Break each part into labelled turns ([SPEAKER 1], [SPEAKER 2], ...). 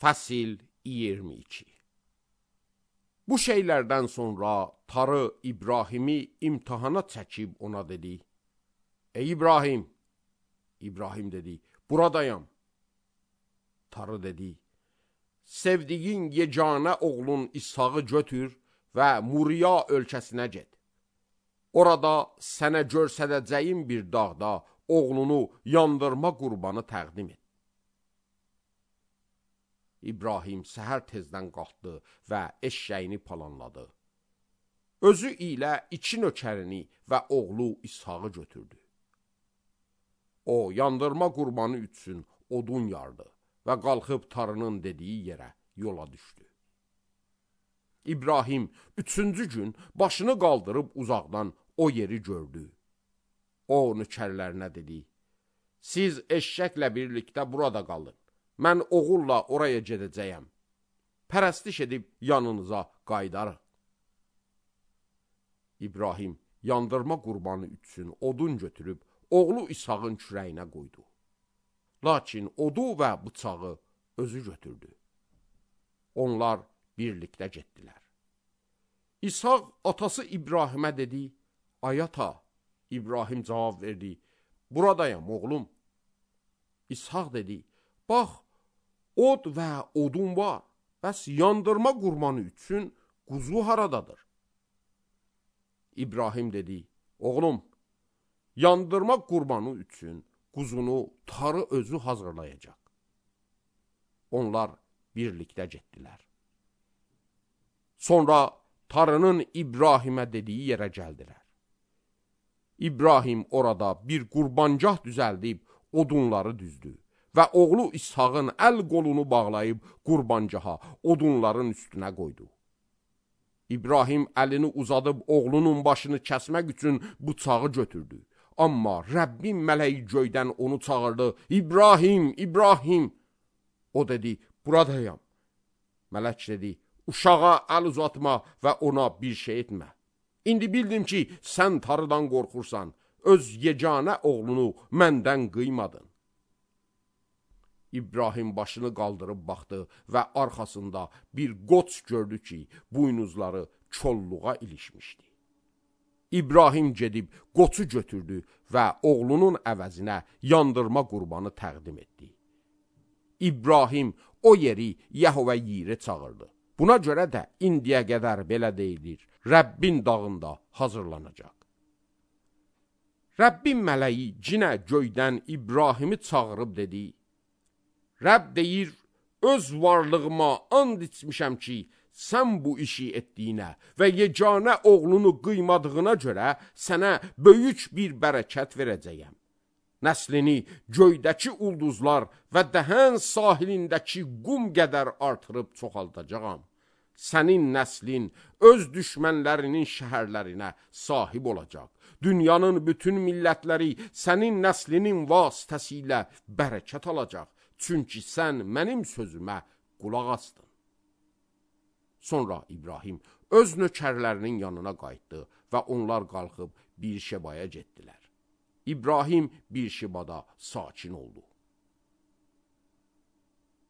[SPEAKER 1] Fəsil 22. Bu şeylərdən sonra Tarı İbrahimi imtihana çəkib ona dedi: Ey İbrahim! İbrahim dedi: Buradayam. Tarı dedi: Sevdiğin yeganə oğlun İshağı götür və Muriya ölkəsinə get. Orada sənə görsədəcəyim bir dağda oğlunu yandırma qurbanı təqdim et. İbrahim səhər tezdən qalxdı və eşşəyini palanladı. Özü ilə 2 nökərini və oğlu İshağı götürdü. O, yandırma qurbanı üçün odun yardı və qalxıb Tarının dediyi yerə yola düşdü. İbrahim 3-cü gün başını qaldırıb uzaqdan o yeri gördü. O, nökərlərinə dedi: Siz eşşəklə birlikdə burada qalın. Mən oğulla oraya gedəcəyəm. Pərəstiş edib yanınıza qaydarıq. İbrahim yandırma qurbanı üçün odun götürüb oğlu İshağın kürəyinə qoydu. Lakin odu və bıçağı özü götürdü. Onlar birlikdə getdilər. İshaq atası İbrahimə dedi: Ay ata. İbrahim cavab verdi: Buradayam oğlum. İshaq dedi: Bax, od və odun var. Bəs yandırma qurbanı üçün quzu haradadır? İbrahim dedi: Oğlum, yandırma qurbanı üçün quzunu Tarı özü hazırlayacaq. Onlar birlikdə getdilər. Sonra Tarının İbrahimə dediyi yerə gəldilər. İbrahim orada bir qurbancah düzəldib odunları düzdü və oğlu İshağın əl qolunu bağlayıb qurbancaha odunların üstünə qoydu. İbrahim əlini uzadıb oğlunun başını kəsmək üçün bıçağı götürdü. Amma Rəbbin mələyi göydən onu çağırdı: İbrahim, İbrahim! O dedi: Buradayam. Mələk dedi: Uşağa əl uzatma və ona bir şey etmə. İndi bildim ki, sən Tarıdan qorxursan, öz yeganə oğlunu məndən qıymadın. İbrahim başını qaldırıb baxdı və arxasında bir qoç gördü ki, buynuzları kolluğa ilişmişdi. İbrahim gedib qoçu götürdü və oğlunun əvəzinə yandırma qurbanı təqdim etdi. İbrahim o yeri Yəhvə Yirə çağırdı. Buna görə də indiyə qədər belə deyilir: Rəbbin dağında hazırlanacaq. Rəbbin mələyi cinə göydən İbrahimi çağırıb dedi: Rəbb deyir, öz varlığıma and içmişəm ki, sən bu işi etdiyinə və yeganə oğlunu qıymadığına görə sənə böyük bir bərəkət verəcəyəm. Nəslini göydəki ulduzlar və dəhən sahilindəki qum qədər artırıb çoxaldacağam. Sənin nəslin öz düşmənlərinin şəhərlərinə sahib olacaq. Dünyanın bütün millətləri sənin nəslinin vasitəsilə bərəkət alacaq. Çünki sən mənim sözümə qulaq asdın. Sonra İbrahim öz nökərlərinin yanına qayıtdı və onlar qalxıb Birşebaya getdilər. İbrahim Birşebada sakin oldu.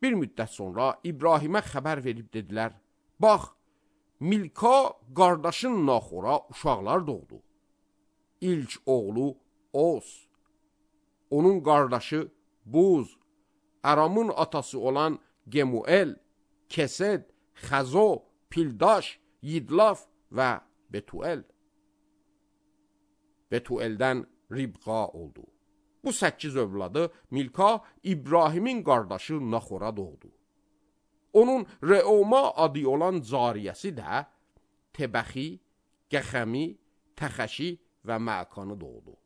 [SPEAKER 1] Bir müddət sonra İbrahimə xəbər verib dedilər: Bax, Milka qardaşın Naxora uşaqlar doğdu. İlk oğlu Oz, onun qardaşı Buz, Aramın atası olan Gemuel, Kesed, Xəzo, Pildaş, Yidlaf və Betuel. Betueldən Ribqa oldu. Bu 8 övladı Milka İbrahimin qardaşı Naxora doğdu. Onun Reoma adı olan cariyəsi də Tebəxi, Gəxəmi, Təxəşi və Məkanı doğdu.